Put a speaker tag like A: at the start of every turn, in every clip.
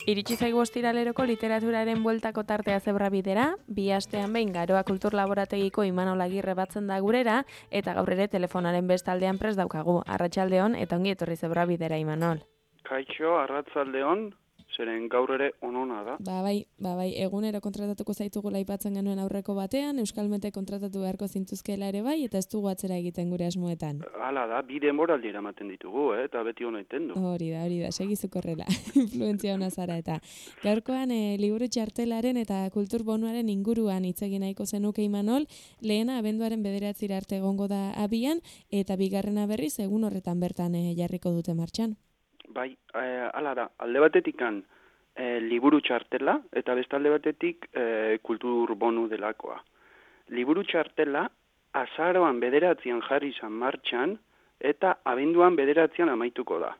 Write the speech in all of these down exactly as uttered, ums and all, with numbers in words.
A: Iritsi zaigu ostiraleroko literaturaren bueltako tartea Zebrabidera, bi astean behin Garoa Kultur Laborategiko Imanol Agirre batzen da gurera, eta gaur ere telefonaren bestaldean prest daukagu. Arratsaldeon eta ongi etorri Zebrabidera, Imanol.
B: Kaixo, arratsaldeon, zeren gaur ere onona da.
A: Ba bai, ba bai, egunero kontratatuko zaitugula aipatzen genuen aurreko batean, Euskalmete kontratatu beharko zintuzkela ere bai, eta ez dugu atzera egiten gure asmoetan.
B: Hala da, bi denboraldi eramaten ditugu, eh, eta beti hona iten du.
A: Hori da, hori da, segizuk horrela, influentzia hona zara eta. Gaurkoan e, liburu txartelaren eta kultur bonuaren inguruan hitz egin nahiko zenuke Imanol, lehena abenduaren bederatzira arte egongo da abian, eta bigarrena berriz egun horretan bertan e, jarriko dute martxan.
B: Bai, eh, hala da, alde batetikan eh, liburu txartela, eta beste alde batetik eh, kultur bonu delakoa. Liburu txartela azaroan bederatzean jarri izan martxan, eta abenduan bederatzean amaituko da.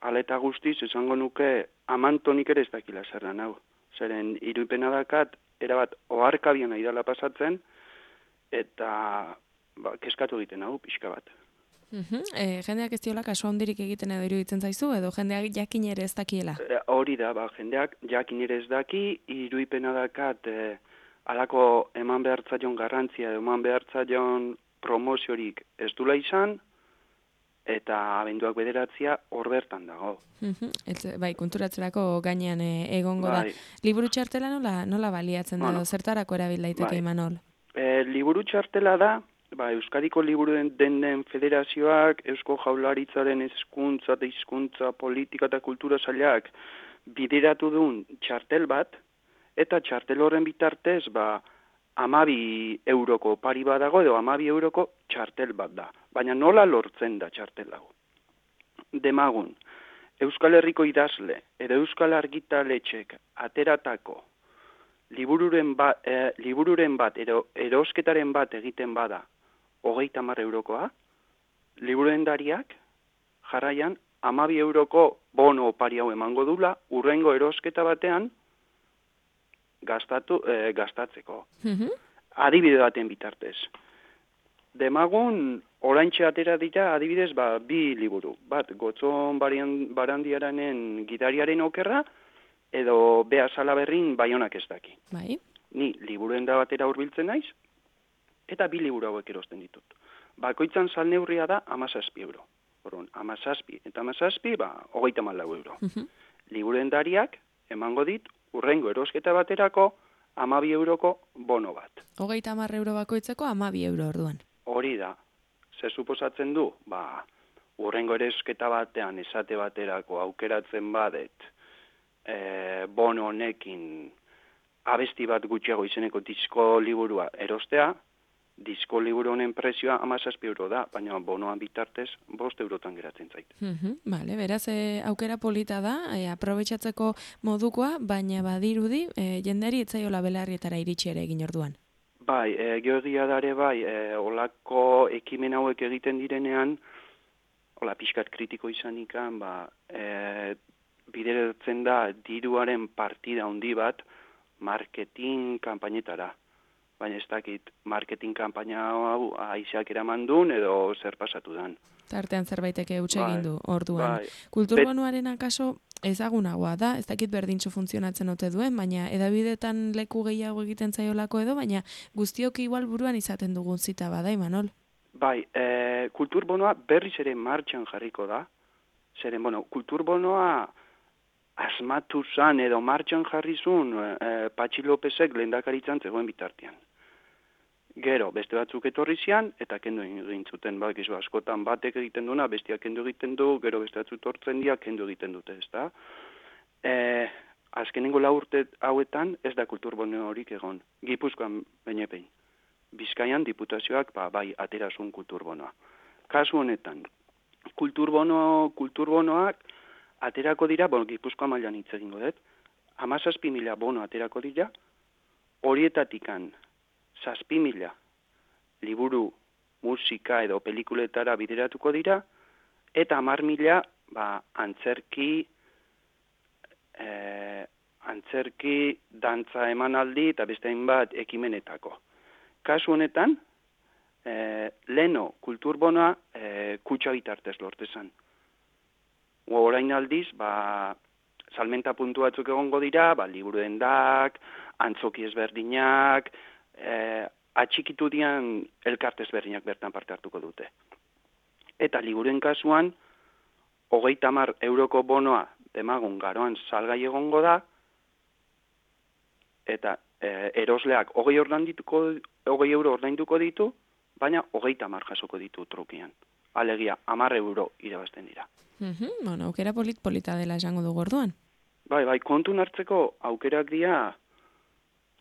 B: Hala eta guztiz, esango nuke, amantonik ere ez dakila zerran hau. Zeren, iruipena dakat, erabat oharkabian nahi dela pasatzen, eta ba, keskatu egiten hau, pixka bat.
A: Uhum. E, jendeak ez diola kasu handirik egiten edo iruditzen zaizu, edo jendeak jakin ere ez dakiela?
B: E, hori da, ba, jendeak jakin ere ez daki, iruipena dakat, e, alako eman behartzaion garrantzia, eman behartzaion promoziorik ez dula izan, eta abenduak bederatzia hor bertan dago.
A: Uhum. Ez, bai, konturatzerako gainean e, egongo bai. da. Liburu txartela nola, nola baliatzen da, bueno, zertarako erabil daiteke bai. Imanol?
B: E, liburu txartela da, ba, Euskadiko Liburuen den Federazioak, Eusko Jaurlaritzaren hezkuntza eta hizkuntza politika eta kultura sailak bideratu duen txartel bat, eta txartel horren bitartez, ba, amabi euroko pari badago, edo amabi euroko txartel bat da. Baina nola lortzen da txartel hau? Demagun, Euskal Herriko idazle, edo Euskal Argitaletxek ateratako libururen, ba, eh, libururen bat, ero, erosketaren bat egiten bada, hogeita hamar eurokoa, liburendariak jarraian amabi euroko bono opari hau emango dula, urrengo erosketa batean gastatu, eh, gastatzeko. Mm-hmm. Adibide baten bitartez. Demagun, oraintxe atera dira, adibidez, ba, bi liburu. Bat, Gotzon Barandiaranen Gidariaren okerra, edo Bea Salaberrin Baionak ez daki.
A: Bai.
B: Ni liburenda batera hurbiltzen naiz, eta bi liburu hauek erosten ditut. Bakoitzan salneurria da amazazpi euro. Orduan, amazazpi eta amazazpi, ba, hogeita malau euro. Uh-huh. Liburendariak emango dit, urrengo erosketa baterako, amabi euroko bono bat.
A: Hogeita hamar euro bakoitzeko, amabi euro orduan.
B: Hori da. Ze suposatzen du, ba, urrengo erosketa batean esate baterako aukeratzen badet, e, bono honekin abesti bat gutxiago izeneko disko liburua erostea, disko liburu honen prezioa hamazazpi euro da, baina bonoan bitartez bost eurotan geratzen zait.
A: Mm-hmm, vale, beraz, e, aukera polita da, e, aprobetxatzeko modukoa, baina badirudi, e, jenderi etzaiola belarrietara iritsi ere egin orduan.
B: Bai, e, geogia dare bai, e, olako ekimen hauek egiten direnean, hola pixkat kritiko izanikan, ba, e, bideratzen da diruaren partida handi bat marketing kanpainetara. Baina ez dakit marketing kanpaina hau aizeak eraman duen edo zer pasatu dan.
A: Tartean zerbaiteke utxe egin du orduan.
B: Bai.
A: Kulturbonuaren akaso ezagunagoa da, ez dakit berdintxo funtzionatzen ote duen, baina edabidetan leku gehiago egiten zaiolako edo, baina guztiok igual buruan izaten dugun zita bada, Imanol?
B: Bai, e, kulturbonoa berriz ere martxan jarriko da. Zeren, bueno, kulturbonoa asmatu zan edo martxan jarri zuen e, Patxi Lopezek lehendakaritzan zegoen bitartean. Gero, beste batzuk etorri zian, eta kendu egin zuten, bak, izo, askotan batek egiten duna, bestiak kendu egiten du, gero beste batzuk tortzen dia, kendu egiten dute, ez da? E, azkenengo lau urte hauetan ez da kulturbono horik egon, Gipuzkoan bainepein. Bizkaian diputazioak, ba, bai, aterazun kulturbonoa. Kasu honetan, kulturbono, kulturbonoak aterako dira, bon, Gipuzkoa mailan hitz egingo dut, hamazazpi mila bono aterako dira, horietatikan, zazpi mila liburu, musika edo pelikuletara bideratuko dira, eta hamar mila ba, antzerki, e, antzerki, dantza emanaldi eta beste hainbat ekimenetako. Kasu honetan, e, leno kulturbonoa e, kutxa bitartez lortezan. Orain aldiz, ba, salmenta puntu batzuk egongo dira, ba, liburu dendak, antzoki ezberdinak, e, atxikitu dian elkarte ezberdinak bertan parte hartuko dute. Eta liburuen kasuan, hogeita hamar euroko bonoa demagun garoan salgai egongo da, eta e, erosleak hogei, hogei euro ordainduko ditu, baina hogeita hamar jasoko ditu trukian. Alegia, hamar euro irabazten dira.
A: Mm-hmm, bueno, aukera polit-polita dela esango dugu orduan.
B: Bai, bai, kontun hartzeko aukerak dira,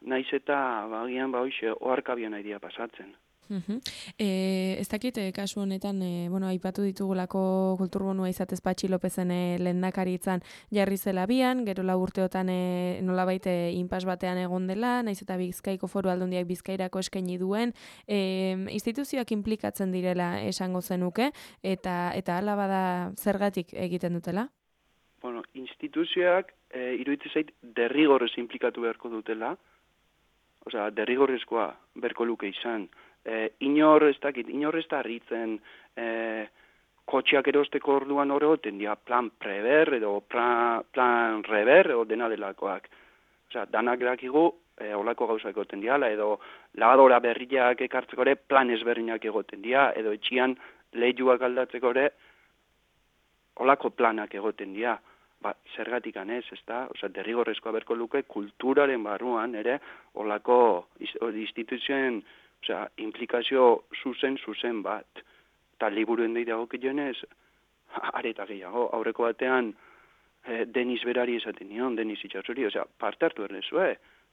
B: naiz eta bagian ba hoize oharkabia nahi dira pasatzen.
A: Uh-huh. E, ez dakit, e, kasu honetan, e, bueno, aipatu ditugulako kulturbonua izatez Patxi Lopezen e, lehendakaritzan jarri zela bian, gero lau urteotan e, nolabait e, inpas batean egon dela, naiz eta Bizkaiko Foru Aldundiak Bizkairako eskaini duen, e, instituzioak inplikatzen direla esango zenuke, eta eta hala bada zergatik egiten dutela?
B: Bueno, instituzioak e, iruditzen zait derrigorrez inplikatu beharko dutela, osea, derrigorrezkoa berko luke izan. E, inor ez dakit, inor ez da harritzen e, kotxeak erosteko orduan hori goten dira plan preber edo plan, plan reber edo dena delakoak. Osea, danak dakigu e, olako gauzak egoten diala, edo lavadora berriak ekartzeko ere plan ezberdinak egoten dira, edo etxian lehiuak aldatzeko ere olako planak egoten dira. Ba, zergatik anez, ez da? Osea, derrigorrezkoa berko luke kulturaren barruan ere olako instituzioen, osea, implikazio zuzen, zuzen bat. Eta liburuen dei dagokionez, areta gehiago, aurreko batean eh, Denis berari esaten nion, Denis itxasori, osea, parte hartu erdezue,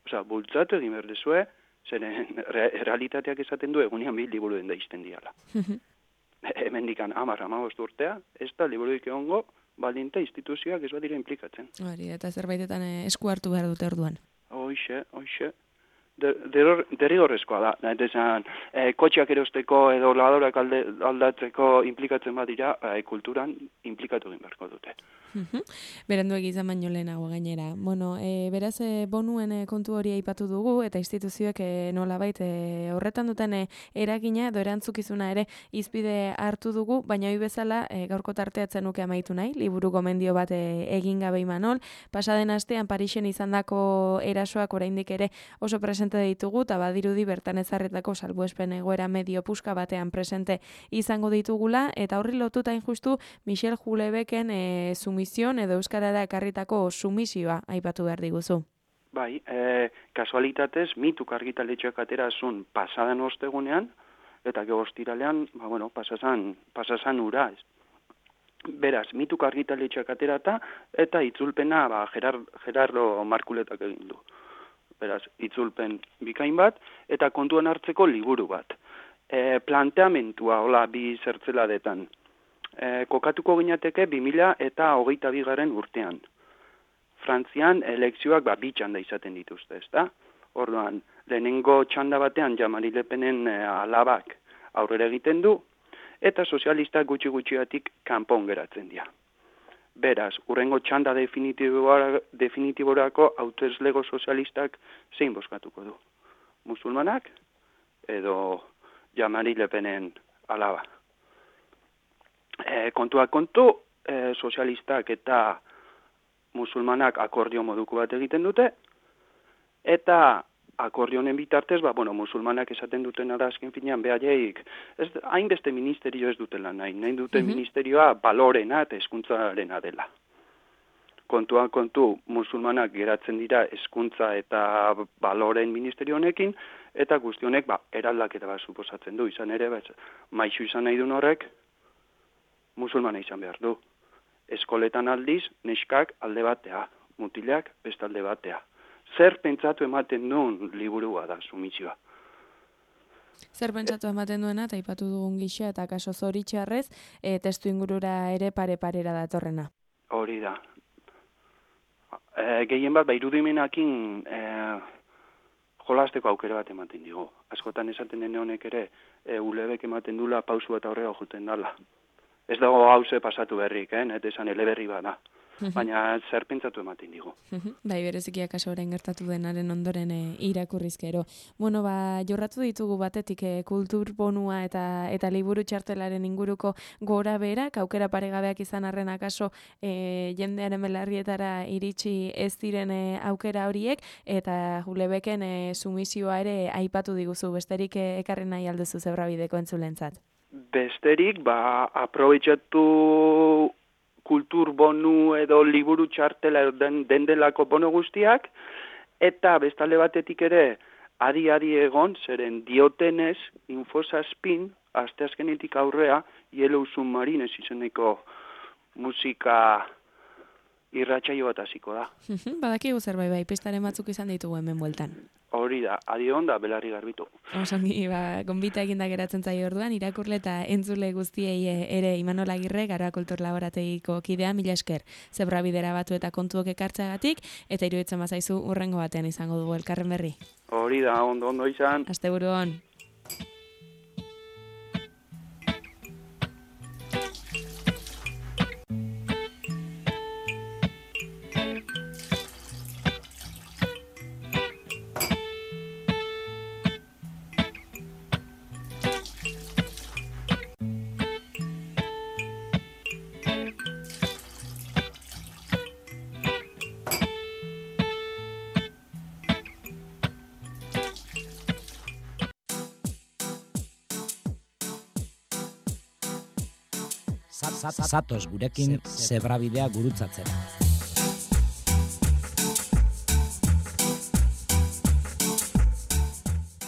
B: osea, bultzatu egin berdezue, zeren re, realitateak esaten du egunean bi liburuen da izten diala. Hemen dikan, amar, amabost urtea, ez da liburuik egongo, baldinta instituzioak ez badira implikatzen.
A: Hori, eta zerbaitetan eh, esku hartu behar dute orduan.
B: Hoixe, hoixe. Derrigorrezkoa da, eta esan, e, kotxeak erosteko edo lavadorak alde, aldatzeko implikatzen badira, e, kulturan implikatu egin beharko dute.
A: Berandu egizan baino lehenago gainera. Bueno, e, beraz, e, bonuen e, kontu hori aipatu dugu, eta instituzioek e, nolabait e, horretan duten e, eragina edo erantzukizuna ere izpide hartu dugu, baina hori bezala e, gaurko tarteatzen nuke amaitu nahi, liburu gomendio bat e, egin gabe Imanol. Pasaden astean Parisen izandako erasoak oraindik ere oso presente ditugu, eta badirudi bertan ezarretako salbuespen egoera medio puska batean presente izango ditugula, eta horri lotuta injustu Michel Houellebecquen e, sumision edo euskarara ekarritako sumisioa aipatu behar diguzu.
B: Bai, e, kasualitatez, mituk argitaletxeak aterazun pasadan ostegunean, eta gero ostiralean, ba, bueno, pasazan, pasazan ura, ez. Beraz, mituk argitaletxeak aterata, eta itzulpena, ba, Gerard, Gerardo Markuletak egin du. Beraz, itzulpen bikain bat, eta kontuan hartzeko liburu bat. E, planteamentua, hola, bi zertzeladetan. E, kokatuko ginateke bi mila eta hogeita bigaren urtean. Frantzian elekzioak ba, bi txanda izaten dituzte, ezta? Orduan, lehenengo txanda batean Jean-Marie Le Penen e, alabak aurrera egiten du, eta sozialistak gutxi gutxiatik kanpon geratzen dira. Beraz, urrengo txanda definitiborako hautezlego sozialistak zein bozkatuko du? Musulmanak edo Jean-Marie Le Penen alaba. E, kontuak kontu, e, sozialistak eta musulmanak akordio moduko bat egiten dute, eta akordionen bitartez, ba, bueno, musulmanak esaten duten ara azken finean behaieik, ez hainbeste ministerio ez dutela nahi, nahi duten mm-hmm. ministerioa balorena eta hezkuntzarena dela. Kontuan kontu, musulmanak geratzen dira hezkuntza eta baloren ministerio honekin, eta guzti honek, ba, eraldaketa bat suposatzen du, izan ere, ba, maixu izan nahi duen horrek, musulmana izan behar du. Eskoletan aldiz, neskak alde batea, mutilak beste alde batea. Zer pentsatu ematen duen liburua da, sumisioa.
A: Zer pentsatu ematen duena, eta aipatu dugun gisa, eta kaso zoritxarrez, e, testu ingurura ere pare-parera datorrena.
B: Hori da. E, gehien bat, ba, irudimenakin e, jolasteko aukera bat ematen digu. Askotan esaten dene honek ere, e, Houellebecq ematen dula pausu eta aurrera juten dala. Ez dago hauze pasatu berrik, eh? Eta esan eleberri bada. baina zer pentsatu ematen digu.
A: Bai, bereziki akaso orain gertatu denaren ondoren e, irakurrizkero. Bueno, ba, jorratu ditugu batetik e, kultur bonua eta eta liburu txartelaren inguruko gora berak, aukera paregabeak izan arren akaso e, jendearen belarrietara iritsi ez diren e, aukera horiek, eta Julebeken e, sumisioa ere aipatu diguzu, besterik e, ekarri nahi alduzu Zebrabideko entzulentzat.
B: Besterik, ba, aprobetxatu kultur bonu edo liburu txartela den, den delako bono guztiak, eta bestalde batetik ere, adi-adi egon, zeren diotenez, infosazpin, asteazkenetik aurrea, Yellow Submarine izeneko musika irratsaio bat hasiko da.
A: Badakigu zerbait bai, pistaren batzuk izan ditugu hemen bueltan.
B: Hori da, adi onda, belarri garbitu.
A: Osongi, ba, gonbita eginda geratzen zaio orduan, irakurle eta entzule guztiei ere Imanol Agirre, Garoa Kultur Laborategiko kidea, mila esker, Zebrabidera batu eta kontuok ekartzeagatik, eta iruditzen bazaizu urrengo batean izango dugu elkarren berri.
B: Hori da, ondo ondo izan.
A: Asteburu on.
C: Zatoz gurekin Zebrabidea gurutzatzera.